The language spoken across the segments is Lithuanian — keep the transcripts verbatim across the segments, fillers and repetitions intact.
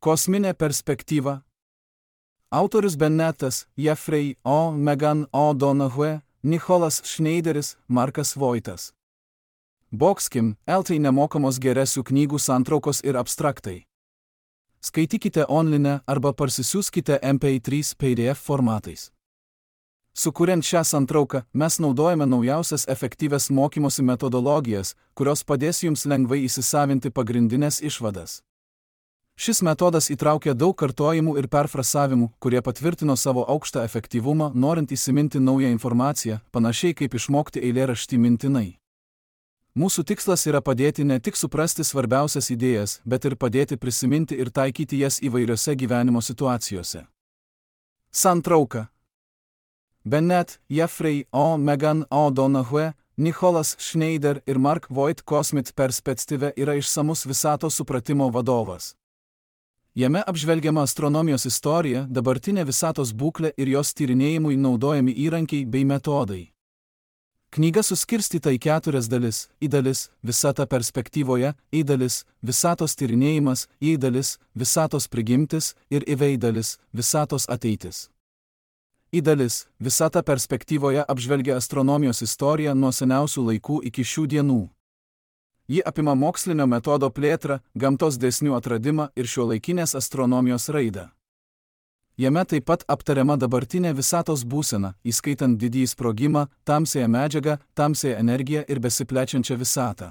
Kosminė perspektyva. Autorius Bennetas, Jeffrey O. Megan O'Donoghue, Nicholas Schneideris, Markas Voitas. Boxkim, eltai nemokamos geresių knygų santraukos ir abstraktai. Skaitykite online arba parsisiųskite M P trys P D F formatais. Sukuriant šią santrauką, mes naudojame naujausias efektyvias mokymosi metodologijas, kurios padės jums lengvai įsisavinti pagrindinės išvadas. Šis metodas įtraukia daug kartojimų ir perfrasavimų, kurie patvirtino savo aukštą efektyvumą, norint įsiminti naują informaciją, panašiai kaip išmokti eilėraštį mintinai. Mūsų tikslas yra padėti ne tik suprasti svarbiausias idėjas, bet ir padėti prisiminti ir taikyti jas įvairiose gyvenimo situacijose. Santrauka. Bennett, Jeffrey O. Megan O'Donoghue, Nicholas Schneider ir Mark Voit Kosmit perspektyva yra išsamus visatos supratimo vadovas. Jame apžvelgiama astronomijos istorija, dabartinė visatos būklė ir jos tyrinėjimui naudojami įrankiai bei metodai. Knyga suskirstyta į keturias dalis: į dalis, visata perspektyvoje, į dalis, visatos tyrinėjimas, į dalis, visatos prigimtis ir į dalis, visatos ateitis. Į dalis, visata perspektyvoje apžvelgia astronomijos istoriją nuo seniausių laikų iki šių dienų. Ji apima mokslinio metodo plėtrą, gamtos dėsnių atradimą ir šiuolaikinės astronomijos raidą. Jame taip pat aptariama dabartinė visatos būsena, įskaitant didįjį sprogimą, tamsiąją medžiagą, tamsiąją energiją ir besiplečiančią visatą.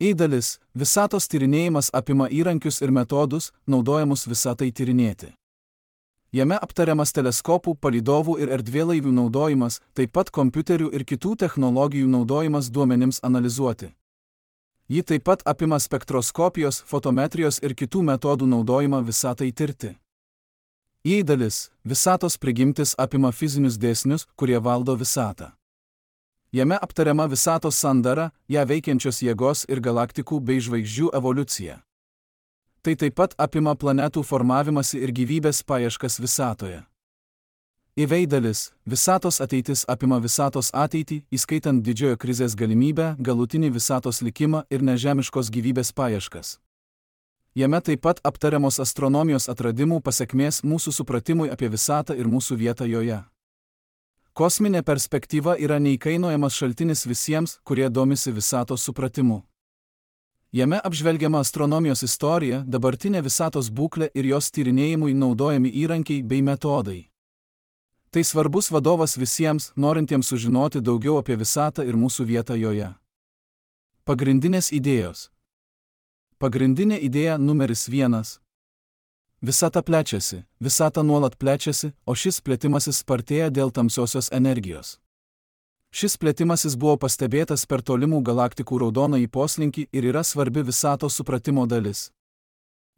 Į dalis, visatos tyrinėjimas apima įrankius ir metodus, naudojamus visatai tyrinėti. Jame aptariamas teleskopų, palydovų ir erdvėlaivių naudojimas, taip pat kompiuterių ir kitų technologijų naudojimas duomenims analizuoti. Ji taip pat apima spektroskopijos, fotometrijos ir kitų metodų naudojimą visatai tirti. Į dalis, visatos prigimtis apima fizinius dėsnius, kurie valdo visatą. Jame aptariama visatos sandara, ją veikiančios jėgos ir galaktikų bei žvaigždžių evoliucija. Tai taip pat apima planetų formavimąsi ir gyvybės paieškas visatoje. Į dalis, visatos ateitis apima visatos ateitį, įskaitant didžiojo krizės galimybę, galutinį visatos likimą ir nežemiškos gyvybės paieškas. Jame taip pat aptariamos astronomijos atradimų pasekmės mūsų supratimui apie visatą ir mūsų vietą joje. Kosminė perspektyva yra neįkainojamas šaltinis visiems, kurie domisi visatos supratimu. Jame apžvelgiama astronomijos istorija, dabartinė visatos būklė ir jos tyrinėjimui naudojami įrankiai bei metodai. Tai svarbus vadovas visiems, norintiems sužinoti daugiau apie visatą ir mūsų vietą joje. Pagrindinės idėjos. Pagrindinė idėja numeris vienas. Visata plečiasi, visata nuolat plečiasi, o šis plėtimasis spartėja dėl tamsiosios energijos. Šis plėtimasis buvo pastebėtas per tolimų galaktikų raudonąjį poslinkį ir yra svarbi visatos supratimo dalis.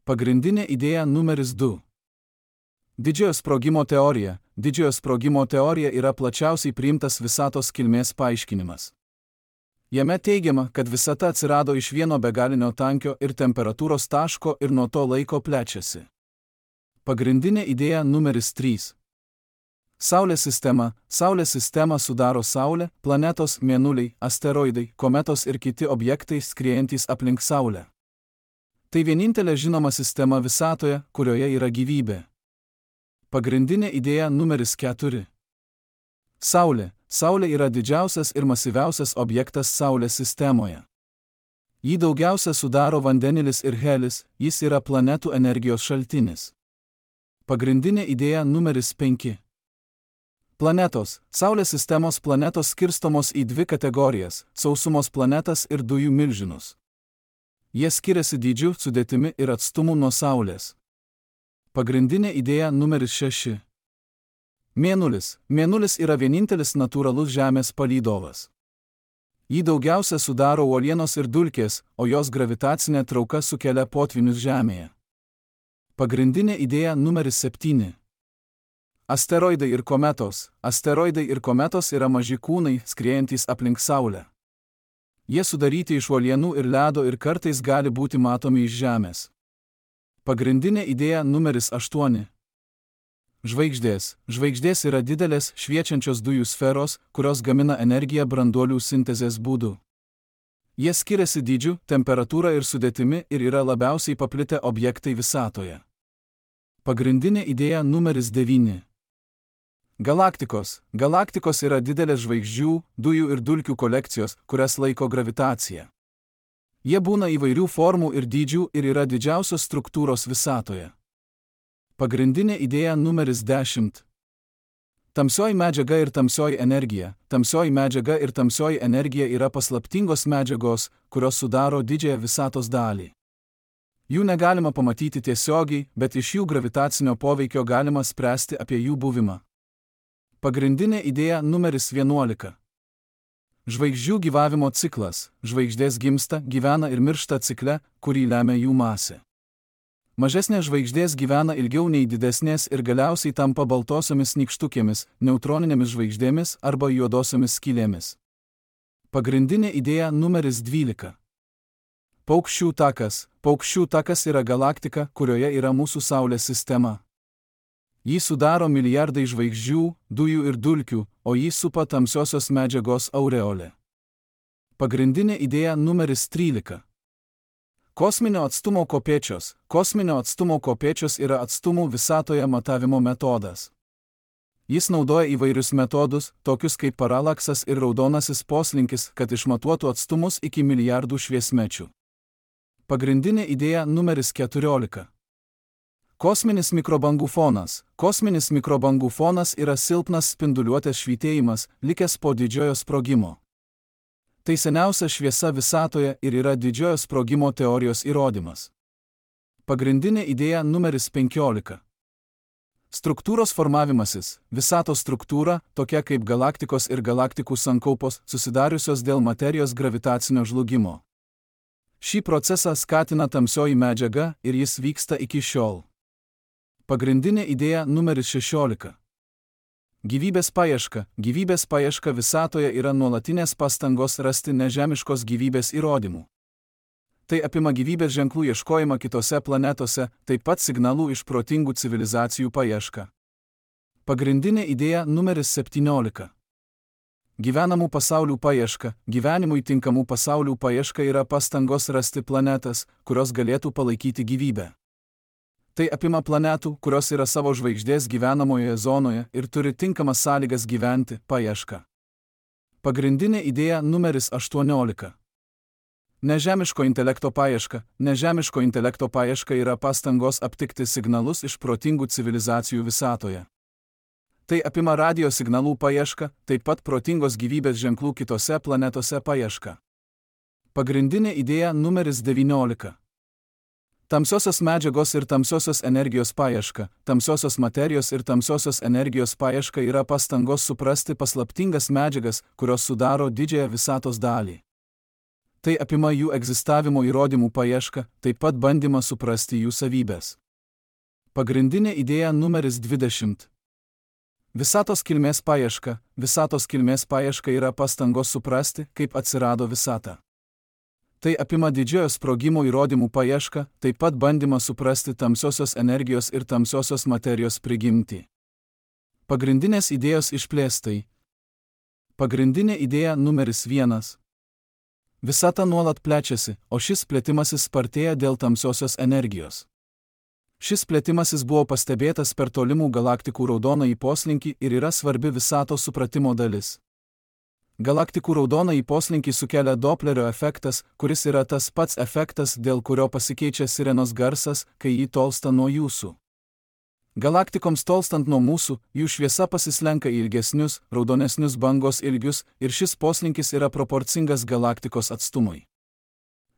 Pagrindinė idėja numeris du. Didžiojo sprogimo teorija. Didžiojo sprogimo teorija yra plačiausiai priimtas visatos kilmės paaiškinimas. Jame teigiama, kad visata atsirado iš vieno begalinio tankio ir temperatūros taško ir nuo to laiko plečiasi. Pagrindinė idėja numeris trys. Saulės sistema. Saulės sistemą sudaro Saulė, planetos, mėnuliai, asteroidai, kometos ir kiti objektai skriejantys aplink Saulę. Tai vienintelė žinoma sistema visatoje, kurioje yra gyvybė. Pagrindinė idėja numeris keturi. Saulė. Saulė yra didžiausias ir masyviausias objektas Saulės sistemoje. Jį daugiausia sudaro vandenilis ir helis, jis yra planetų energijos šaltinis. Pagrindinė idėja numeris penki. Planetos. Saulės sistemos planetos skirstomos į dvi kategorijas – sausumos planetas ir dujų milžinus. Jie skiriasi dydžiu, sudėtimi ir atstumu nuo Saulės. Pagrindinė idėja numeris šeši. Mėnulis. Mėnulis yra vienintelis natūralus Žemės palydovas. Jį daugiausia sudaro uolienos ir dulkės, o jos gravitacinė trauka sukelia potvynius Žemėje. Pagrindinė idėja numeris septyni. Asteroidai ir kometos. Asteroidai ir kometos yra maži kūnai, skriejantys aplink Saulę. Jie sudaryti iš uolienų ir ledo ir kartais gali būti matomi iš Žemės. Pagrindinė idėja numeris aštuoni. Žvaigždės. Žvaigždės yra didelės, šviečiančios dujų sferos, kurios gamina energiją branduolių sintezės būdu. Jie skiriasi dydžiu, temperatūra ir sudėtimi ir yra labiausiai paplitę objektai visatoje. Pagrindinė idėja numeris devyni. Galaktikos. Galaktikos yra didelės žvaigždžių, dujų ir dulkių kolekcijos, kurias laiko gravitacija. Jie būna įvairių formų ir dydžių ir yra didžiausios struktūros visatoje. Pagrindinė idėja numeris dešimt. Tamsioji medžiaga ir tamsioji energija. Tamsioji medžiaga ir tamsioji energija yra paslaptingos medžiagos, kurios sudaro didžiąją visatos dalį. Jų negalima pamatyti tiesiogiai, bet iš jų gravitacinio poveikio galima spręsti apie jų buvimą. Pagrindinė idėja numeris vienuolika. Žvaigždžių gyvavimo ciklas. Žvaigždės gimsta, gyvena ir miršta cikle, kurį lemia jų masė. Mažesnės žvaigždės gyvena ilgiau nei didesnės ir galiausiai tampa baltosiomis nykštukėmis, neutroninėmis žvaigždėmis arba juodosiomis skylėmis. Pagrindinė idėja numeris dvylika. Paukščių takas. Paukščių takas yra galaktika, kurioje yra mūsų Saulės sistema. Jį sudaro milijardai žvaigždžių, dujų ir dulkių, o jį supa tamsiosios medžiagos aureolė. Pagrindinė idėja numeris trylika. Kosminio atstumo kopėčios. Kosminio atstumo kopėčios yra atstumų visatoje matavimo metodas. Jis naudoja įvairius metodus, tokius kaip paralaksas ir raudonasis poslinkis, kad išmatuotų atstumus iki milijardų šviesmečių. Pagrindinė idėja numeris keturiolika. Kosminis mikrobangų fonas. Kosminis mikrobangų fonas yra silpnas spinduliuotės švytėjimas, likęs po didžiojo sprogimo. Tai seniausia šviesa visatoje ir yra didžiojo sprogimo teorijos įrodymas. Pagrindinė idėja numeris penkiolika. Struktūros formavimasis. Visatos struktūra, tokia kaip galaktikos ir galaktikų sankaupos, susidariusios dėl materijos gravitacinio žlugimo. Šį procesą skatina tamsioji medžiaga ir jis vyksta iki šiol. Pagrindinė idėja numeris šešiolika. Gyvybės paieška. Gyvybės paieška visatoje yra nuolatinės pastangos rasti nežemiškos gyvybės įrodymų. Tai apima gyvybės ženklų ieškojimą kitose planetose, taip pat signalų iš protingų civilizacijų paiešką. Pagrindinė idėja numeris septyniolika. Gyvenamų pasaulių paieška. Gyvenimui tinkamų pasaulių paieška yra pastangos rasti planetas, kurios galėtų palaikyti gyvybę. Tai apima planetų, kurios yra savo žvaigždės gyvenamoje zonoje ir turi tinkamas sąlygas gyventi, paieška. Pagrindinė idėja numeris aštuoniolika. Nežemiško intelekto paieška. Nežemiško intelekto paieška yra pastangos aptikti signalus iš protingų civilizacijų visatoje. Tai apima radio signalų paieška, taip pat protingos gyvybės ženklų kitose planetose paieška. Pagrindinė idėja numeris devyniolika. Tamsiosios medžiagos ir tamsiosios energijos paieška. Tamsiosios materijos ir tamsiosios energijos paieška yra pastangos suprasti paslaptingas medžiagas, kurios sudaro didžiąją visatos dalį. Tai apima jų egzistavimo įrodymų paiešką, taip pat bandymą suprasti jų savybės. Pagrindinė idėja numeris dvidešimt. Visatos kilmės paieška. Visatos kilmės paieška yra pastangos suprasti, kaip atsirado visata. Tai apima didžiojo sprogimo įrodymų paiešką, taip pat bandymą suprasti tamsiosios energijos ir tamsiosios materijos prigimtį. Pagrindinės idėjos išplėstai. Pagrindinė idėja numeris vienas. Visata nuolat plečiasi, o šis plėtimasis spartėja dėl tamsiosios energijos. Šis plėtimasis buvo pastebėtas per tolimų galaktikų raudonąjį poslinkį ir yra svarbi visatos supratimo dalis. Galaktikų raudonąjį poslinkį sukelia Doplerio efektas, kuris yra tas pats efektas, dėl kurio pasikeičia sirenos garsas, kai jį tolsta nuo jūsų. Galaktikoms tolstant nuo mūsų, jų šviesa pasislenka į ilgesnius, raudonesnius bangos ilgius ir šis poslinkis yra proporcingas galaktikos atstumui.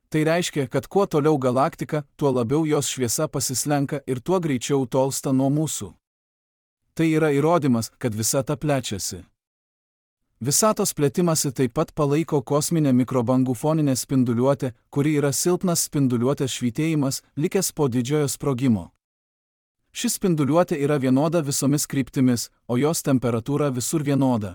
Tai reiškia, kad kuo toliau galaktika, tuo labiau jos šviesa pasislenka ir tuo greičiau tolsta nuo mūsų. Tai yra įrodymas, kad visata plečiasi. Visatos plėtimasi taip pat palaiko kosminė mikrobangų foninė spinduliuotė, kuri yra silpnas spinduliuotės švytėjimas, likęs po didžiojo sprogimo. Ši spinduliuotė yra vienoda visomis kryptimis, o jos temperatūra visur vienoda.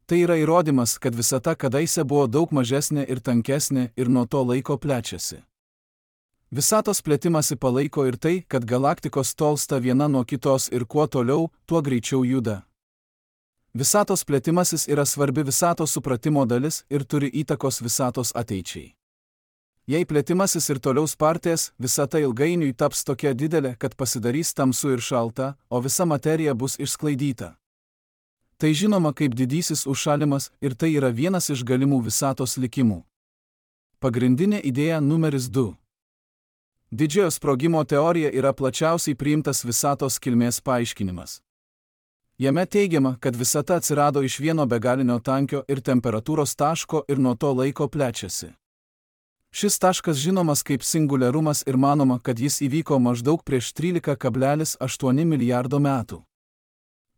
Tai yra įrodymas, kad visata kadaise buvo daug mažesnė ir tankesnė ir nuo to laiko plečiasi. Visatos plėtimasi palaiko ir tai, kad galaktikos tolsta viena nuo kitos ir kuo toliau, tuo greičiau juda. Visatos plėtimasis yra svarbi visatos supratimo dalis ir turi įtakos visatos ateičiai. Jei plėtimasis ir toliau spartės, visata ilgainiui taps tokia didelė, kad pasidarys tamsu ir šalta, o visa materija bus išsklaidyta. Tai žinoma kaip didysis užšalimas ir tai yra vienas iš galimų visatos likimų. Pagrindinė idėja numeris du. Didžiojo sprogimo teorija yra plačiausiai priimtas visatos kilmės paaiškinimas. Jame teigiama, kad visata atsirado iš vieno begalinio tankio ir temperatūros taško ir nuo to laiko plečiasi. Šis taškas žinomas kaip singuliarumas ir manoma, kad jis įvyko maždaug prieš trylika kablelis aštuoni milijardo metų.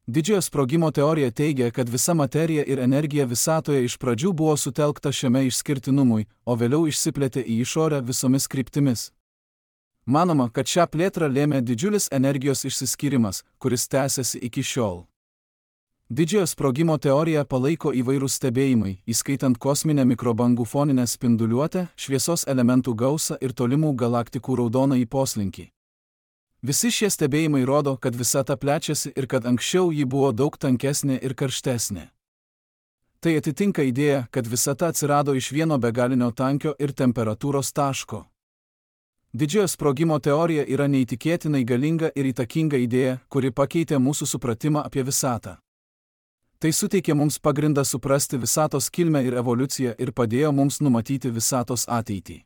Didžiojo sprogimo teorija teigia, kad visa materija ir energija visatoje iš pradžių buvo sutelkta šiame išskirtinumui, o vėliau išsiplėtė į išorę visomis kryptimis. Manoma, kad šią plėtrą lėmė didžiulis energijos išsiskyrimas, kuris tęsiasi iki šiol. Didžiojo sprogimo teoriją palaiko įvairūs stebėjimai, įskaitant kosminę mikrobangų foninę spinduliuotę, šviesos elementų gausą ir tolimų galaktikų raudonąjį poslinkį. Visi šie stebėjimai rodo, kad visata plečiasi ir kad anksčiau ji buvo daug tankesnė ir karštesnė. Tai atitinka idėją, kad visata atsirado iš vieno begalinio tankio ir temperatūros taško. Didžiojo sprogimo teorija yra neįtikėtinai galinga ir įtakinga idėja, kuri pakeitė mūsų supratimą apie visatą. Tai suteikė mums pagrindą suprasti visatos kilmę ir evoliuciją ir padėjo mums numatyti visatos ateitį.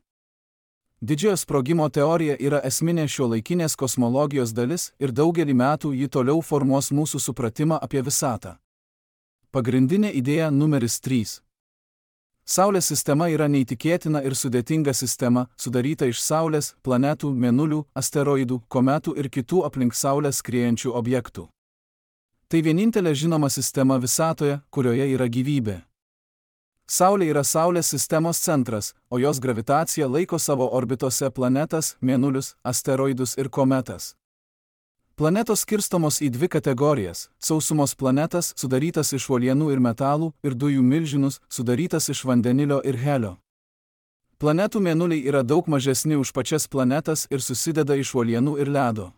Didžiojo sprogimo teorija yra esminė šiuolaikinės kosmologijos dalis ir daugelį metų ji toliau formuos mūsų supratimą apie visatą. Pagrindinė idėja numeris trys. Saulės sistema yra neįtikėtina ir sudėtinga sistema, sudaryta iš Saulės, planetų, mėnulių, asteroidų, kometų ir kitų aplink Saulę skriejančių objektų. Tai vienintelė žinoma sistema visatoje, kurioje yra gyvybė. Saulė yra Saulės sistemos centras, o jos gravitacija laiko savo orbitose planetas, mėnulius, asteroidus ir kometas. Planetos skirstomos į dvi kategorijas – sausumos planetas, sudarytas iš uolienų ir metalų, ir dujų milžinus, sudarytas iš vandenilio ir helio. Planetų mėnuliai yra daug mažesni už pačias planetas ir susideda iš uolienų ir ledo.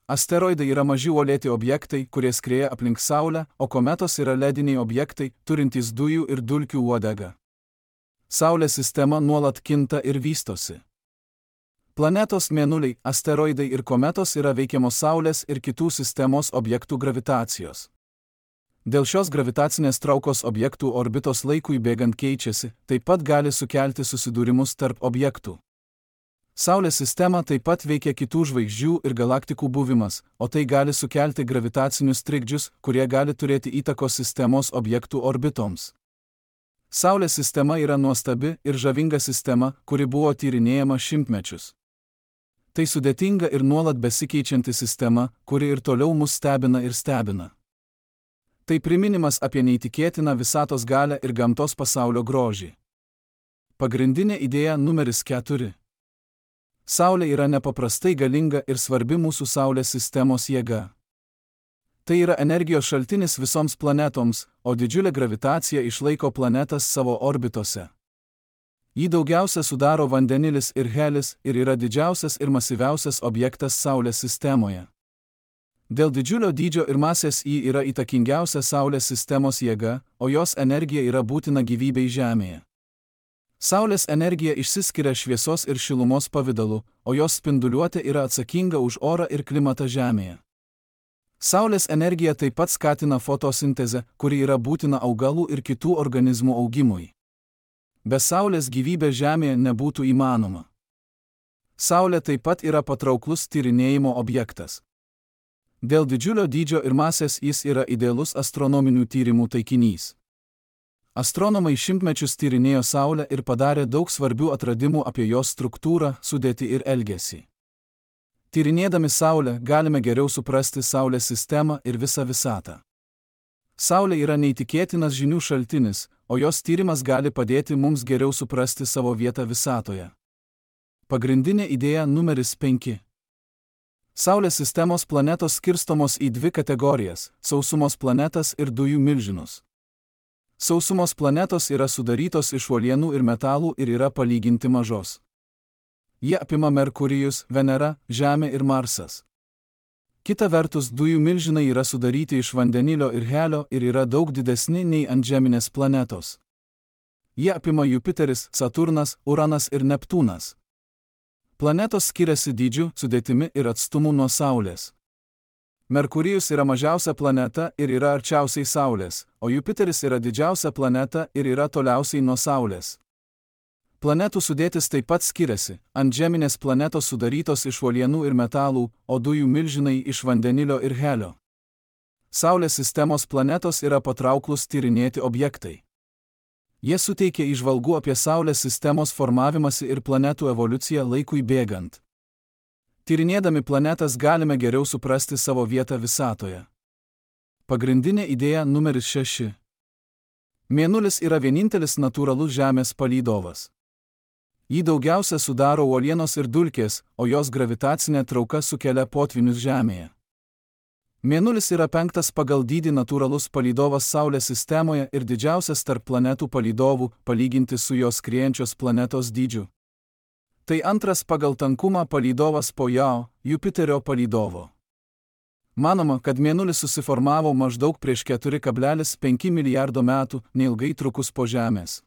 Asteroidai yra maži uolėti objektai, kurie skrieja aplink Saulę, o kometos yra lediniai objektai, turintys dujų ir dulkių uodegą. Saulės sistema nuolat kinta ir vystosi. Planetos, mėnuliai, asteroidai ir kometos yra veikiamos Saulės ir kitų sistemos objektų gravitacijos. Dėl šios gravitacinės traukos objektų orbitos laikui bėgant keičiasi, taip pat gali sukelti susidūrimus tarp objektų. Saulės sistema taip pat veikia kitų žvaigždžių ir galaktikų buvimas, o tai gali sukelti gravitacinius trikdžius, kurie gali turėti įtakos sistemos objektų orbitoms. Saulės sistema yra nuostabi ir žavinga sistema, kuri buvo tyrinėjama šimtmečius. Tai sudėtinga ir nuolat besikeičianti sistema, kuri ir toliau mus stebina ir stebina. Tai priminimas apie neįtikėtiną visatos galią ir gamtos pasaulio grožį. Pagrindinė idėja numeris keturi. Saulė yra nepaprastai galinga ir svarbi mūsų Saulės sistemos jėga. Tai yra energijos šaltinis visoms planetoms, o didžiulė gravitacija išlaiko planetas savo orbitose. Jį daugiausia sudaro vandenilis ir helis ir yra didžiausias ir masyviausias objektas Saulės sistemoje. Dėl didžiulio dydžio ir masės ji yra įtakingiausia Saulės sistemos jėga, o jos energija yra būtina gyvybei Žemėje. Saulės energija išsiskiria šviesos ir šilumos pavidalu, o jos spinduliuotė yra atsakinga už orą ir klimatą Žemėje. Saulės energija taip pat skatina fotosintezę, kuri yra būtina augalų ir kitų organizmų augimui. Be Saulės gyvybė Žemėje nebūtų įmanoma. Saulė taip pat yra patrauklus tyrinėjimo objektas. Dėl didžiulio dydžio ir masės jis yra idealus astronominių tyrimų taikinys. Astronomai šimtmečius tyrinėjo Saulę ir padarė daug svarbių atradimų apie jos struktūrą, sudėtį ir elgesį. Tyrinėdami Saulę galime geriau suprasti Saulės sistemą ir visą visatą. Saulė yra neįtikėtinas žinių šaltinis, o jos tyrimas gali padėti mums geriau suprasti savo vietą visatoje. Pagrindinė idėja numeris penki. Saulės sistemos planetos skirstomos į dvi kategorijas – sausumos planetas ir dujų milžinus. Sausumos planetos yra sudarytos iš uolienų ir metalų ir yra palyginti mažos. Jie apima Merkurijus, Venera, Žemė ir Marsas. Kita vertus, dujų milžinai yra sudaryti iš vandenilio ir helio ir yra daug didesni nei antžeminės planetos. Jie apima Jupiteris, Saturnas, Uranas ir Neptūnas. Planetos skiriasi dydžiu, sudėtimi ir atstumu nuo Saulės. Merkurijus yra mažiausia planeta ir yra arčiausiai Saulės, o Jupiteris yra didžiausia planeta ir yra toliausiai nuo Saulės. Planetų sudėtis taip pat skiriasi, antžeminės planetos sudarytos iš uolienų ir metalų, o dujų milžinai iš vandenilio ir helio. Saulės sistemos planetos yra patrauklus tyrinėti objektai. Jie suteikia įžvalgų apie Saulės sistemos formavimąsi ir planetų evoliuciją laikui bėgant. Tyrinėdami planetas galime geriau suprasti savo vietą visatoje. Pagrindinė idėja numeris šeši. Mėnulis yra vienintelis natūralus Žemės palydovas. Jį daugiausia sudaro uolienos ir dulkės, o jos gravitacinė trauka sukelia potvynius Žemėje. Mėnulis yra penktas pagal dydį natūralus palydovas Saulės sistemoje ir didžiausias tarp planetų palydovų, palyginti su jos skriejančios planetos dydžiu. Tai antras pagal tankumą palydovas po Jau, Jupiterio palydovo. Manoma, kad Mėnulis susiformavo maždaug prieš keturi kablelis penki milijardo metų, neilgai trukus po Žemės.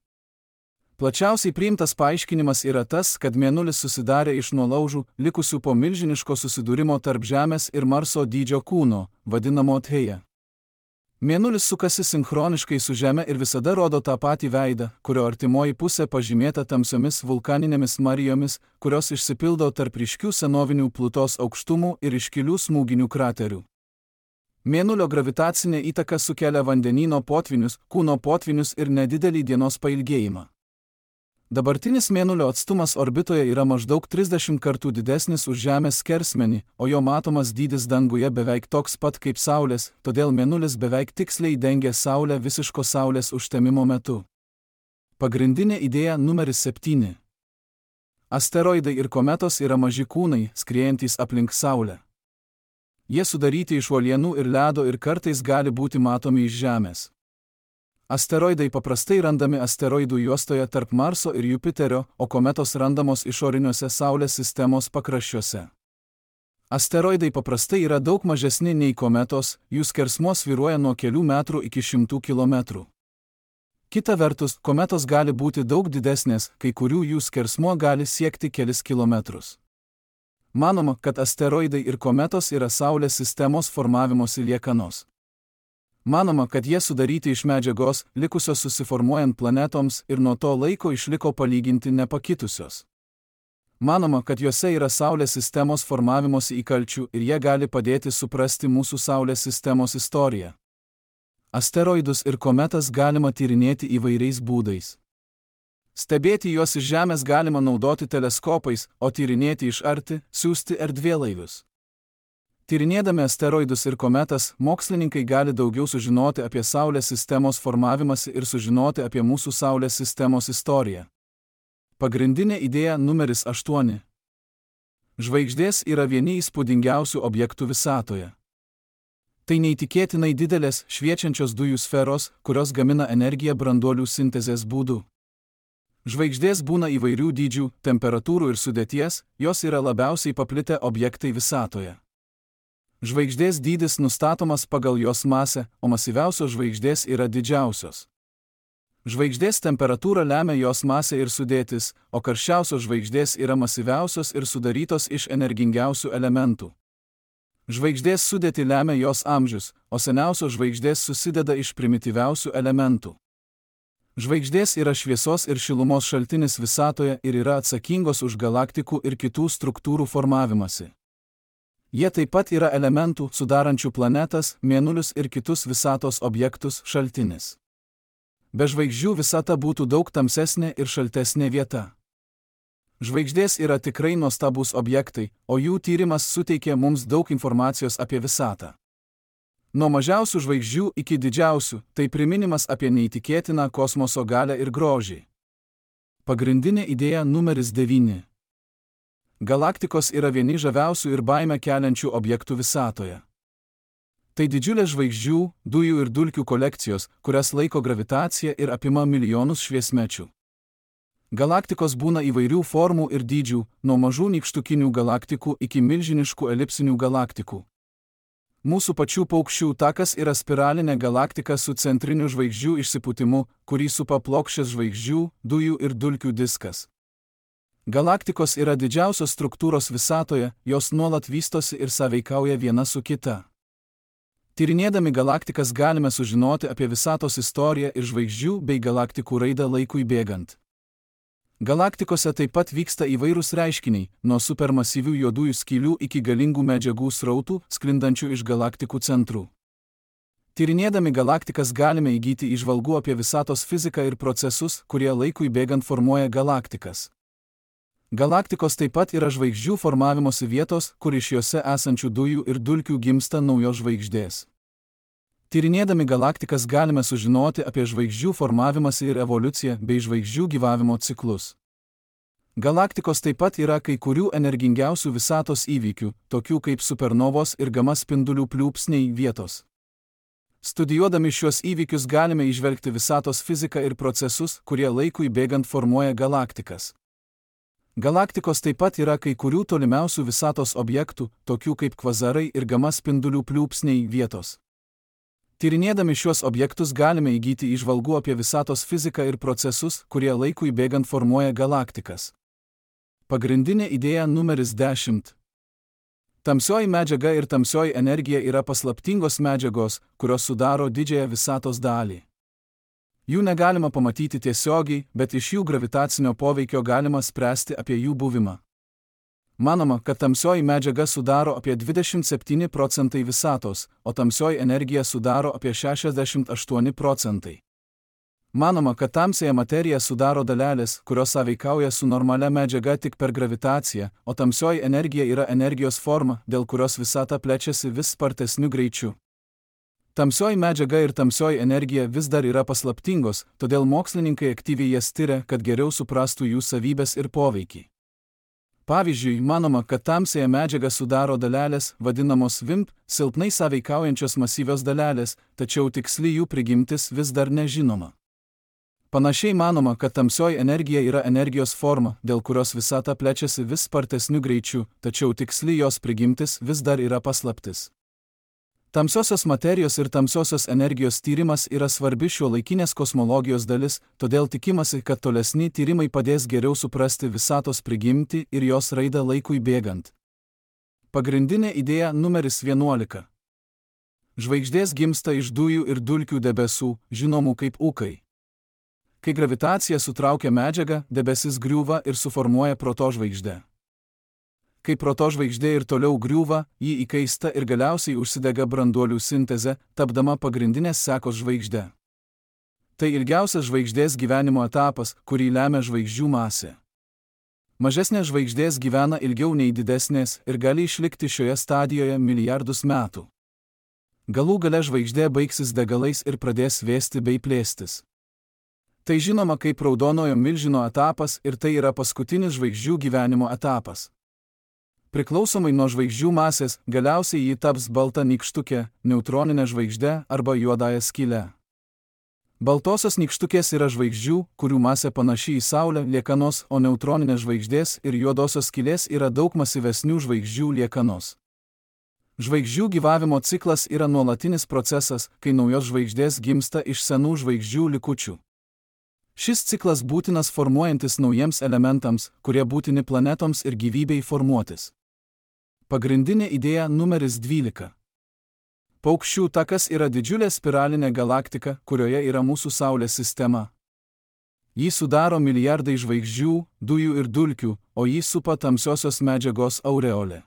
Plačiausiai priimtas paaiškinimas yra tas, kad Mėnulis susidarė iš nuolaužų, likusių po milžiniško susidūrimo tarp Žemės ir Marso dydžio kūno, vadinamo Theia. Mėnulis sukasi sinchroniškai su Žeme ir visada rodo tą patį veidą, kurio artimoji pusė pažymėta tamsiomis vulkaninėmis marijomis, kurios išsipildo tarp ryškių senovinių Plutos aukštumų ir iškilių smūginių kraterių. Mėnulio gravitacinė įtaka sukelia vandenyno potvinius, kūno potvinius ir nedidelį dienos pailgėjimą. Dabartinis Mėnulio atstumas orbitoje yra maždaug trisdešimt kartų didesnis už Žemės skersmenį, o jo matomas dydis danguje beveik toks pat kaip Saulės, todėl Mėnulis beveik tiksliai dengia Saulę visiško Saulės užtemimo metu. Pagrindinė idėja numeris septyni. Asteroidai ir kometos yra maži kūnai, skriejantys aplink Saulę. Jie sudaryti iš uolienų ir ledo ir kartais gali būti matomi iš Žemės. Asteroidai paprastai randami asteroidų juostoje tarp Marso ir Jupiterio, o kometos randamos išoriniuose Saulės sistemos pakraščiuose. Asteroidai paprastai yra daug mažesni nei kometos, jų skersmuo svyruoja nuo kelių metrų iki šimtų kilometrų. Kita vertus, kometos gali būti daug didesnės, kai kurių jų skersmuo gali siekti kelis kilometrus. Manoma, kad asteroidai ir kometos yra Saulės sistemos formavimosi liekanos. Manoma, kad jie sudaryti iš medžiagos, likusios susiformuojant planetoms ir nuo to laiko išliko palyginti nepakitusios. Manoma, kad juose yra Saulės sistemos formavimosi įkalčių ir jie gali padėti suprasti mūsų Saulės sistemos istoriją. Asteroidus ir kometas galima tyrinėti įvairiais būdais. Stebėti juos iš Žemės galima naudoti teleskopais, o tyrinėti iš arti, siųsti erdvėlaivius. Tyrinėdami asteroidus ir kometas, mokslininkai gali daugiau sužinoti apie Saulės sistemos formavimąsi ir sužinoti apie mūsų Saulės sistemos istoriją. Pagrindinė idėja numeris aštuoni. Žvaigždės yra vieni įspūdingiausių objektų visatoje. Tai neįtikėtinai didelės, šviečiančios dujų sferos, kurios gamina energiją branduolių sintezės būdu. Žvaigždės būna įvairių dydžių, temperatūrų ir sudėties, jos yra labiausiai paplitę objektai visatoje. Žvaigždės dydis nustatomas pagal jos masę, o masyviausios žvaigždės yra didžiausios. Žvaigždės temperatūrą lemia jos masė ir sudėtis, o karščiausios žvaigždės yra masyviausios ir sudarytos iš energingiausių elementų. Žvaigždės sudėtį lemia jos amžius, o seniausios žvaigždės susideda iš primityviausių elementų. Žvaigždės yra šviesos ir šilumos šaltinis visatoje ir yra atsakingos už galaktikų ir kitų struktūrų formavimąsi. Jie taip pat yra elementų, sudarančių planetas, mėnulius ir kitus visatos objektus šaltinis. Be žvaigždžių visata būtų daug tamsesnė ir šaltesnė vieta. Žvaigždės yra tikrai nuostabūs objektai, o jų tyrimas suteikia mums daug informacijos apie visatą. Nuo mažiausių žvaigždžių iki didžiausių, tai priminimas apie neįtikėtiną kosmoso galią ir grožį. Pagrindinė idėja numeris devyni. Galaktikos yra vieni žaviausių ir baimę keliančių objektų visatoje. Tai didžiulės žvaigždžių, dujų ir dulkių kolekcijos, kurias laiko gravitacija ir apima milijonus šviesmečių. Galaktikos būna įvairių formų ir dydžių, nuo mažų nykštukinių galaktikų iki milžiniškų elipsinių galaktikų. Mūsų pačių paukščių takas yra spiralinė galaktika su centriniu žvaigždžių išsipūtimu, kurį supa plokščias žvaigždžių, dujų ir dulkių diskas. Galaktikos yra didžiausios struktūros visatoje, jos nuolat vystosi ir sąveikauja viena su kita. Tyrinėdami galaktikas galime sužinoti apie visatos istoriją ir žvaigždžių bei galaktikų raidą laikui bėgant. Galaktikose taip pat vyksta įvairūs reiškiniai, nuo supermasyvių juodųjų skylių iki galingų medžiagų srautų, sklindančių iš galaktikų centrų. Tyrinėdami galaktikas galime įgyti įžvalgų apie visatos fiziką ir procesus, kurie laikui bėgant formuoja galaktikas. Galaktikos taip pat yra žvaigždžių formavimosi vietos, kur iš jose esančių dujų ir dulkių gimsta naujos žvaigždės. Tyrinėdami galaktikas galime sužinoti apie žvaigždžių formavimąsi ir evoliuciją bei žvaigždžių gyvavimo ciklus. Galaktikos taip pat yra kai kurių energingiausių visatos įvykių, tokių kaip supernovos ir gama spindulių pliūpsniai vietos. Studijuodami šiuos įvykius galime įžvelgti visatos fiziką ir procesus, kurie laikui bėgant formuoja galaktikas. Galaktikos taip pat yra kai kurių tolimiausių visatos objektų, tokių kaip kvazarai ir gama spindulių pliūpsniai vietos. Tyrinėdami šiuos objektus galime įgyti įžvalgų apie visatos fiziką ir procesus, kurie laikui bėgant formuoja galaktikas. Pagrindinė idėja numeris dešimt. Tamsioji medžiaga ir tamsioji energija yra paslaptingos medžiagos, kurios sudaro didžiąją visatos dalį. Jų negalima pamatyti tiesiogiai, bet iš jų gravitacinio poveikio galima spręsti apie jų buvimą. Manoma, kad tamsioji medžiaga sudaro apie dvidešimt septyni procentai visatos, o tamsioji energija sudaro apie šešiasdešimt aštuoni procentai. Manoma, kad tamsiąją materiją sudaro dalelės, kurios sąveikauja su normalia medžiaga tik per gravitaciją, o tamsioji energija yra energijos forma, dėl kurios visata plečiasi vis spartesniu greičiu. Tamsioji medžiaga ir tamsioji energija vis dar yra paslaptingos, todėl mokslininkai aktyviai jas tiria, kad geriau suprastų jų savybes ir poveikį. Pavyzdžiui, manoma, kad tamsiąją medžiagą sudaro dalelės, vadinamos V I M P, silpnai sąveikaujančios masyvios dalelės, tačiau tiksli jų prigimtis vis dar nežinoma. Panašiai manoma, kad tamsioji energija yra energijos forma, dėl kurios visata plečiasi vis spartesniu greičiu, tačiau tiksli jos prigimtis vis dar yra paslaptis. Tamsiosios materijos ir tamsiosios energijos tyrimas yra svarbi šiuolaikinės kosmologijos dalis, todėl tikimasi, kad tolesni tyrimai padės geriau suprasti visatos prigimtį ir jos raidą laikui bėgant. Pagrindinė idėja numeris vienuolika. Žvaigždės gimsta iš dujų ir dulkių debesų, žinomų kaip ūkai. Kai gravitacija sutraukia medžiagą, debesis griūva ir suformuoja protožvaigždę. Kai protožvaigždė ir toliau griūva, ji įkaista ir galiausiai užsidega branduolių sinteze, tapdama pagrindinės sekos žvaigžde. Tai ilgiausias žvaigždės gyvenimo etapas, kurį lemia žvaigždžių masė. Mažesnės žvaigždės gyvena ilgiau nei didesnės ir gali išlikti šioje stadijoje milijardus metų. Galų gale žvaigždė baigsis degalais ir pradės vėsti bei plėstis. Tai žinoma kaip raudonojo milžino etapas ir tai yra paskutinis žvaigždžių gyvenimo etapas. Priklausomai nuo žvaigždžių masės, galiausiai ji taps balta nykštukė, neutroninė žvaigždė arba juodąja skyle. Baltosios nykštukės yra žvaigždžių, kurių masė panaši į Saulę liekanos, o neutroninės žvaigždės ir juodosios skylės yra daug masyvesnių žvaigždžių liekanos. Žvaigždžių gyvavimo ciklas yra nuolatinis procesas, kai naujos žvaigždės gimsta iš senų žvaigždžių likučių. Šis ciklas būtinas formuojantis naujiems elementams, kurie būtini planetoms ir gyvybei formuotis. Pagrindinė idėja numeris dvylika. Paukščių takas yra didžiulė spiralinė galaktika, kurioje yra mūsų Saulės sistema. Jį sudaro milijardai žvaigždžių, dujų ir dulkių, o jį supa tamsiosios medžiagos aureolė.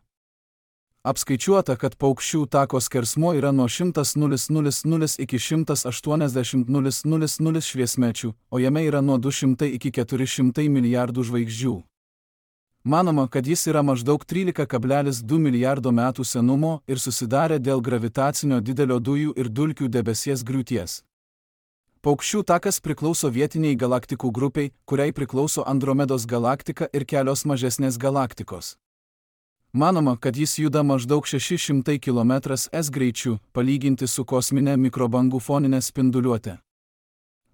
Apskaičiuota, kad paukščių tako skersmuo yra nuo šimtas nulis nulis nulis iki šimtas aštuoniasdešimt nulis nulis nulis šviesmečių, o jame yra nuo du šimtai iki keturi šimtai milijardų žvaigždžių. Manoma, kad jis yra maždaug trylika kablelis du milijardo metų senumo ir susidarė dėl gravitacinio didelio dujų ir dulkių debesies griūties. Paukščių takas priklauso vietiniai galaktikų grupiai, kuriai priklauso Andromedos galaktika ir kelios mažesnės galaktikos. Manoma, kad jis juda maždaug šeši šimtai kilometrų per sekundę greičiu, palyginti su kosminė mikrobangų foninė spinduliuotė.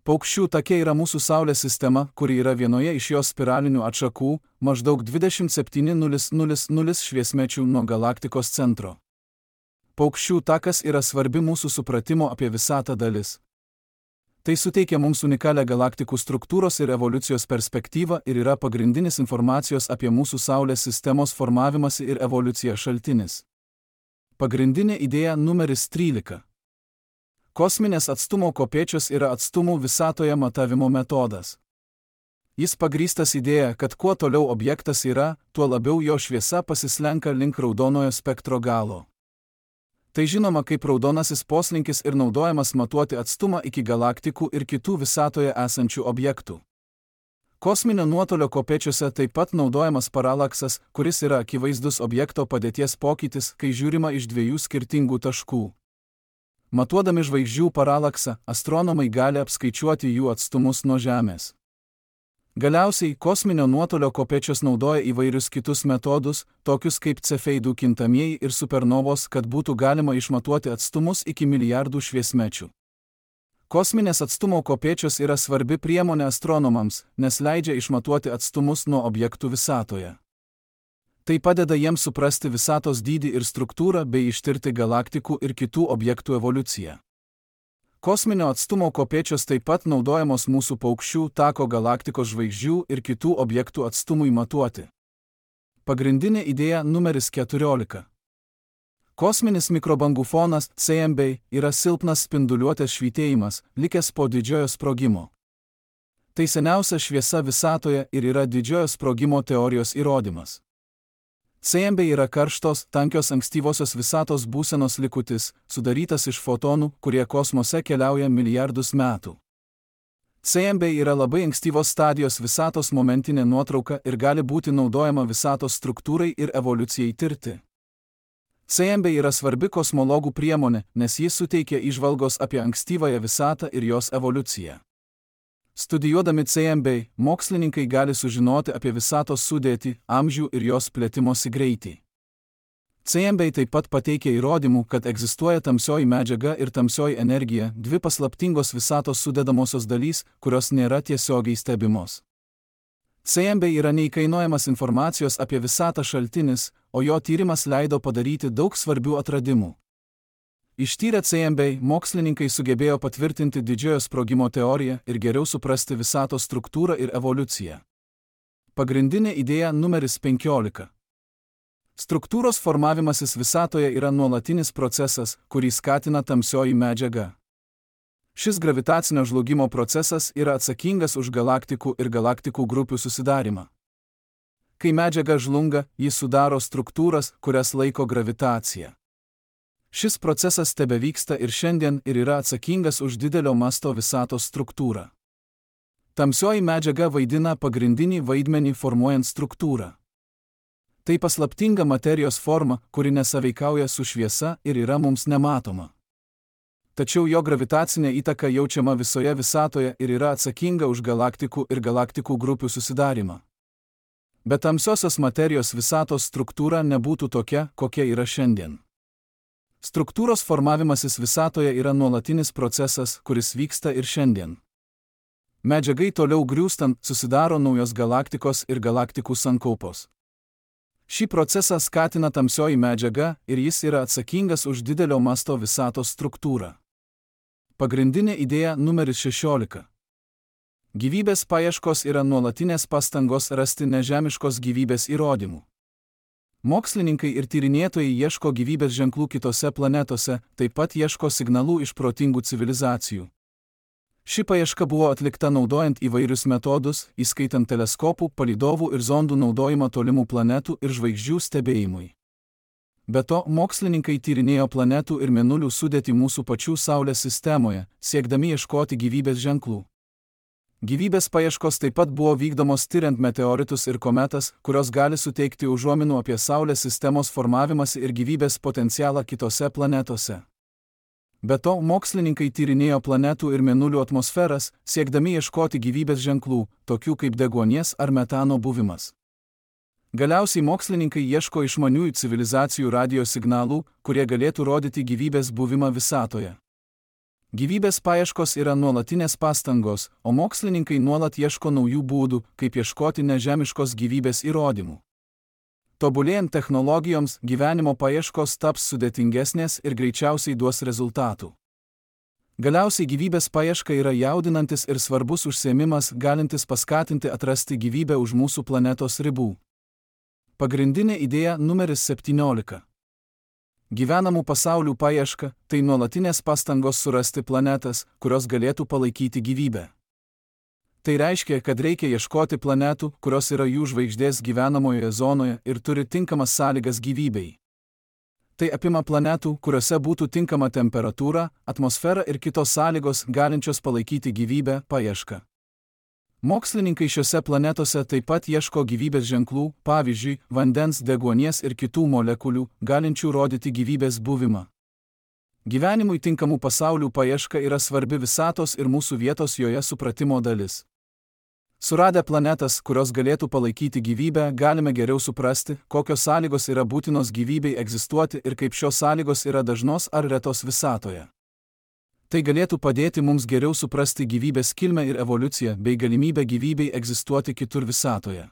Paukščių take yra mūsų Saulės sistema, kuri yra vienoje iš jos spiralinių atšakų, maždaug dvidešimt septyni nulis nulis nulis šviesmečių nuo galaktikos centro. Paukščių takas yra svarbi mūsų supratimo apie visatą dalis. Tai suteikia mums unikalią galaktikų struktūros ir evoliucijos perspektyvą ir yra pagrindinis informacijos apie mūsų Saulės sistemos formavimąsi ir evoliuciją šaltinis. Pagrindinė idėja numeris trylika. Kosminės atstumo kopėčios yra atstumų visatoje matavimo metodas. Jis pagrįstas idėja, kad kuo toliau objektas yra, tuo labiau jo šviesa pasislenka link raudonojo spektro galo. Tai žinoma kaip raudonasis poslinkis ir naudojamas matuoti atstumą iki galaktikų ir kitų visatoje esančių objektų. Kosminio nuotolio kopėčiose taip pat naudojamas paralaksas, kuris yra akivaizdus objekto padėties pokytis, kai žiūrima iš dviejų skirtingų taškų. Matuodami žvaigždžių paralaksą, astronomai gali apskaičiuoti jų atstumus nuo Žemės. Galiausiai, kosminio nuotolio kopėčios naudoja įvairius kitus metodus, tokius kaip cefeidų kintamieji ir supernovos, kad būtų galima išmatuoti atstumus iki milijardų šviesmečių. Kosminės atstumo kopėčios yra svarbi priemonė astronomams, nes leidžia išmatuoti atstumus nuo objektų visatoje. Tai padeda jiems suprasti visatos dydį ir struktūrą bei ištirti galaktikų ir kitų objektų evoliuciją. Kosminio atstumo kopėčios taip pat naudojamos mūsų paukščių tako galaktikos žvaigždžių ir kitų objektų atstumui matuoti. Pagrindinė idėja numeris keturiolika. Kosminis mikrobangų fonas C M B yra silpnas spinduliuotės švytėjimas, likęs po didžiojo sprogimo. Tai seniausia šviesa visatoje ir yra didžiojo sprogimo teorijos įrodymas. C M B yra karštos, tankios ankstyvosios visatos būsenos likutis, sudarytas iš fotonų, kurie kosmose keliauja milijardus metų. C M B yra labai ankstyvos stadijos visatos momentinė nuotrauka ir gali būti naudojama visatos struktūrai ir evoliucijai tirti. C M B yra svarbi kosmologų priemonė, nes jis suteikia įžvalgos apie ankstyvąją visatą ir jos evoliuciją. Studijuodami C M B, mokslininkai gali sužinoti apie visatos sudėtį, amžių ir jos plėtimosi greitį. C M B taip pat pateikia įrodymų, kad egzistuoja tamsioji medžiaga ir tamsioji energija, dvi paslaptingos visatos sudedamosios dalys, kurios nėra tiesiogiai stebimos. C M B yra neįkainojamas informacijos apie visatą šaltinis, o jo tyrimas leido padaryti daug svarbių atradimų. Ištyrę C M B, mokslininkai sugebėjo patvirtinti didžiojo sprogimo teoriją ir geriau suprasti visatos struktūrą ir evoliuciją. Pagrindinė idėja numeris penkiolika. Struktūros formavimasis visatoje yra nuolatinis procesas, kurį skatina tamsioji medžiaga. Šis gravitacinio žlugimo procesas yra atsakingas už galaktikų ir galaktikų grupių susidarimą. Kai medžiaga žlunga, jis sudaro struktūras, kurias laiko gravitacija. Šis procesas tebevyksta ir šiandien ir yra atsakingas už didelio masto visatos struktūrą. Tamsioji medžiaga vaidina pagrindinį vaidmenį formuojant struktūrą. Tai paslaptinga materijos forma, kuri nesaveikauja su šviesa ir yra mums nematoma. Tačiau jo gravitacinė įtaka jaučiama visoje visatoje ir yra atsakinga už galaktikų ir galaktikų grupių susidarimą. Be tamsiosios materijos visatos struktūra nebūtų tokia, kokia yra šiandien. Struktūros formavimasis visatoje yra nuolatinis procesas, kuris vyksta ir šiandien. Medžiagai toliau griūstant susidaro naujos galaktikos ir galaktikų sankaupos. Šį procesą skatina tamsioji medžiaga ir jis yra atsakingas už didelio masto visatos struktūrą. Pagrindinė idėja numeris šešiolika. Gyvybės paieškos yra nuolatinės pastangos rasti nežemiškos gyvybės įrodymų. Mokslininkai ir tyrinėtojai ieško gyvybės ženklų kitose planetose, taip pat ieško signalų iš protingų civilizacijų. Ši paieška buvo atlikta naudojant įvairius metodus, įskaitant teleskopų, palydovų ir zondų naudojimą tolimų planetų ir žvaigždžių stebėjimui. Be to, mokslininkai tyrinėjo planetų ir mėnulių sudėtį mūsų pačių Saulės sistemoje, siekdami ieškoti gyvybės ženklų. Gyvybės paieškos taip pat buvo vykdomos tiriant meteoritus ir kometas, kurios gali suteikti užuominų apie Saulės sistemos formavimąsi ir gyvybės potencialą kitose planetose. Be to, mokslininkai tyrinėjo planetų ir mėnulių atmosferas, siekdami ieškoti gyvybės ženklų, tokių kaip deguonies ar metano buvimas. Galiausiai mokslininkai ieško išmaniųjų civilizacijų radijo signalų, kurie galėtų rodyti gyvybės buvimą visatoje. Gyvybės paieškos yra nuolatinės pastangos, o mokslininkai nuolat ieško naujų būdų, kaip ieškoti nežemiškos gyvybės įrodymų. Tobulėjant technologijoms, gyvenimo paieškos taps sudėtingesnės ir greičiausiai duos rezultatų. Galiausiai gyvybės paieška yra jaudinantis ir svarbus užsiėmimas, galintis paskatinti atrasti gyvybę už mūsų planetos ribų. Pagrindinė idėja numeris septyniolika. Gyvenamų pasaulių paieška – tai nuolatinės pastangos surasti planetas, kurios galėtų palaikyti gyvybę. Tai reiškia, kad reikia ieškoti planetų, kurios yra jų žvaigždės gyvenamojoje zonoje ir turi tinkamas sąlygas gyvybei. Tai apima planetų, kuriuose būtų tinkama temperatūra, atmosfera ir kitos sąlygos galinčios palaikyti gyvybę paiešką. Mokslininkai šiuose planetose taip pat ieško gyvybės ženklų, pavyzdžiui, vandens, deguonies ir kitų molekulių, galinčių rodyti gyvybės buvimą. Gyvenimui tinkamų pasaulių paieška yra svarbi visatos ir mūsų vietos joje supratimo dalis. Suradę planetas, kurios galėtų palaikyti gyvybę, galime geriau suprasti, kokios sąlygos yra būtinos gyvybei egzistuoti ir kaip šios sąlygos yra dažnos ar retos visatoje. Tai galėtų padėti mums geriau suprasti gyvybės kilmę ir evoliuciją bei galimybę gyvybei egzistuoti kitur visatoje.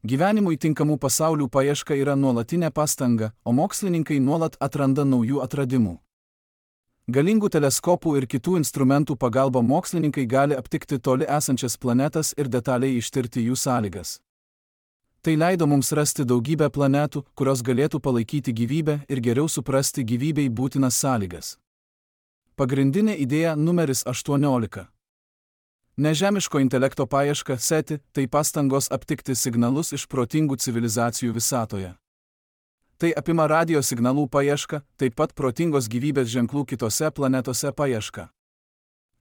Gyvenimui tinkamų pasaulių paieška yra nuolatinė pastanga, o mokslininkai nuolat atranda naujų atradimų. Galingų teleskopų ir kitų instrumentų pagalba mokslininkai gali aptikti toli esančias planetas ir detaliai ištirti jų sąlygas. Tai leido mums rasti daugybę planetų, kurios galėtų palaikyti gyvybę ir geriau suprasti gyvybei būtinas sąlygas. Pagrindinė idėja numeris aštuoniolika. Nežemiško intelekto paieška SETI – tai pastangos aptikti signalus iš protingų civilizacijų visatoje. Tai apima radio signalų paiešką, taip pat protingos gyvybės ženklų kitose planetose paiešką.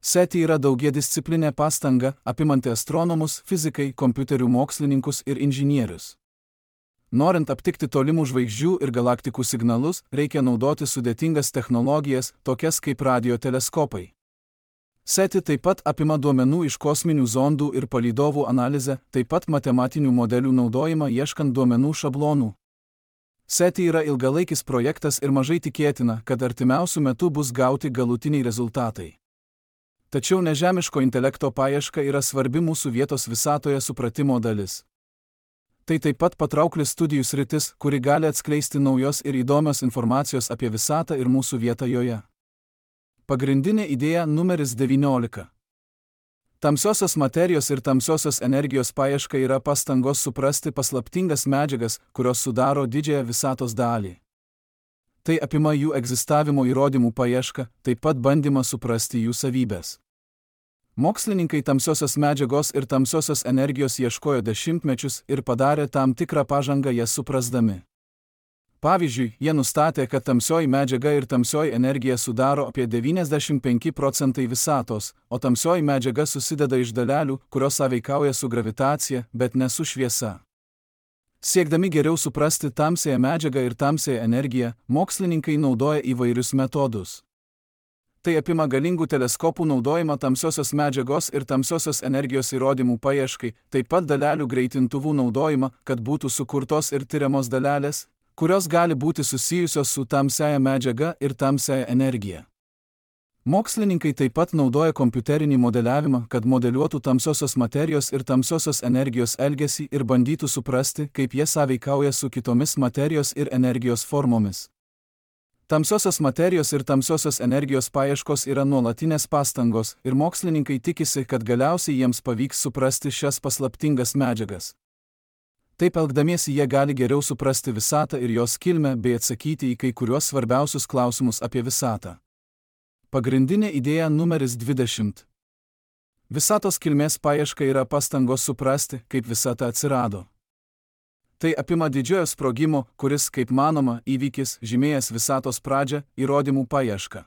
SETI yra daugiadisciplinė pastanga, apimanti astronomus, fizikai, kompiuterių mokslininkus ir inžinierius. Norint aptikti tolimų žvaigždžių ir galaktikų signalus, reikia naudoti sudėtingas technologijas, tokias kaip radioteleskopai. SETI taip pat apima duomenų iš kosminių zondų ir palydovų analizę, taip pat matematinių modelių naudojimą ieškant duomenų šablonų. SETI yra ilgalaikis projektas ir mažai tikėtina, kad artimiausiu metu bus gauti galutiniai rezultatai. Tačiau nežemiško intelekto paieška yra svarbi mūsų vietos visatoje supratimo dalis. Tai taip pat patraukli studijų sritis, kuri gali atskleisti naujos ir įdomios informacijos apie visatą ir mūsų vietą joje. Pagrindinė idėja numeris devyniolika. Tamsiosios materijos ir tamsiosios energijos paieška yra pastangos suprasti paslaptingas medžiagas, kurios sudaro didžiąją visatos dalį. Tai apima jų egzistavimo įrodymų paiešką, taip pat bandymą suprasti jų savybės. Mokslininkai tamsiosios medžiagos ir tamsiosios energijos ieškojo dešimtmečius ir padarė tam tikrą pažangą jas suprasdami. Pavyzdžiui, jie nustatė, kad tamsioji medžiaga ir tamsioji energija sudaro apie devyniasdešimt penki procentai visatos, o tamsioji medžiaga susideda iš dalelių, kurios sąveikauja su gravitacija, bet ne su šviesa. Siekdami geriau suprasti tamsiąją medžiagą ir tamsiąją energiją, mokslininkai naudoja įvairius metodus. Tai apima galingų teleskopų naudojimą tamsiosios medžiagos ir tamsiosios energijos įrodymų paieškai, taip pat dalelių greitintuvų naudojimą, kad būtų sukurtos ir tyriamos dalelės, kurios gali būti susijusios su tamsiaja medžiaga ir tamsiaja energija. Mokslininkai taip pat naudoja kompiuterinį modeliavimą, kad modeliuotų tamsiosios materijos ir tamsiosios energijos elgesį ir bandytų suprasti, kaip jie sąveikauja su kitomis materijos ir energijos formomis. Tamsiosios materijos ir tamsiosios energijos paieškos yra nuolatinės pastangos ir mokslininkai tikisi, kad galiausiai jiems pavyks suprasti šias paslaptingas medžiagas. Taip elgdamiesi jie gali geriau suprasti visatą ir jos kilmę bei atsakyti į kai kuriuos svarbiausius klausimus apie visatą. Pagrindinė idėja numeris dvidešimt. Visatos kilmės paieška yra pastangos suprasti, kaip visata atsirado. Tai apima didžiojo sprogimo, kuris, kaip manoma, įvykis, žymėjęs visatos pradžią, įrodymų paiešką.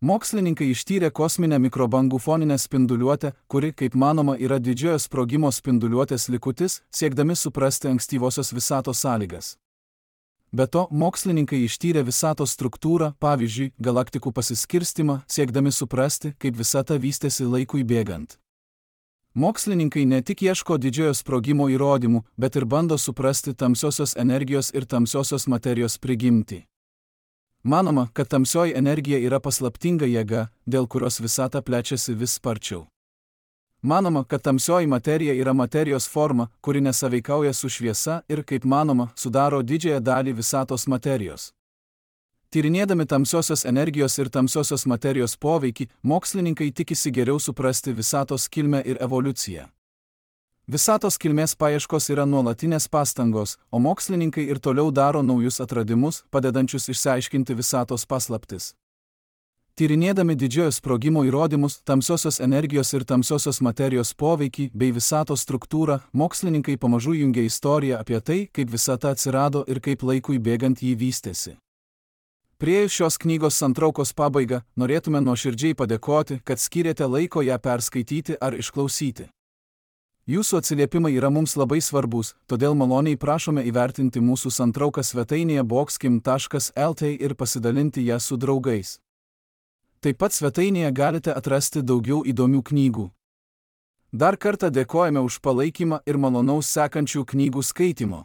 Mokslininkai ištyrė kosminę mikrobangų foninę spinduliuotę, kuri, kaip manoma, yra didžiojo sprogimo spinduliuotės likutis, siekdami suprasti ankstyvosios visatos sąlygas. Be to, mokslininkai ištyrė visatos struktūrą, pavyzdžiui, galaktikų pasiskirstimą, siekdami suprasti, kaip visata vystėsi laikui bėgant. Mokslininkai ne tik ieško didžiojo sprogimo įrodymų, bet ir bando suprasti tamsiosios energijos ir tamsiosios materijos prigimtį. Manoma, kad tamsioji energija yra paslaptinga jėga, dėl kurios visata plečiasi vis sparčiau. Manoma, kad tamsioji materija yra materijos forma, kuri nesąveikauja su šviesa ir, kaip manoma, sudaro didžiąją dalį visatos materijos. Tyrinėdami tamsiosios energijos ir tamsiosios materijos poveikį, mokslininkai tikisi geriau suprasti visatos kilmę ir evoliuciją. Visatos kilmės paieškos yra nuolatinės pastangos, o mokslininkai ir toliau daro naujus atradimus, padedančius išsiaiškinti visatos paslaptis. Tyrinėdami didžiojo sprogimo įrodymus, tamsiosios energijos ir tamsiosios materijos poveikį bei visatos struktūrą, mokslininkai pamažu jungia istoriją apie tai, kaip visata atsirado ir kaip laikui bėgant jį vystėsi. Priėjus šios knygos santraukos pabaigą, norėtume nuoširdžiai padėkoti, kad skyrėte laiko ją perskaityti ar išklausyti. Jūsų atsiliepimai yra mums labai svarbus, todėl maloniai prašome įvertinti mūsų santrauką svetainėje boxkim taškas el t ir pasidalinti ją su draugais. Taip pat svetainėje galite atrasti daugiau įdomių knygų. Dar kartą dėkojame už palaikymą ir malonaus sekančių knygų skaitimo.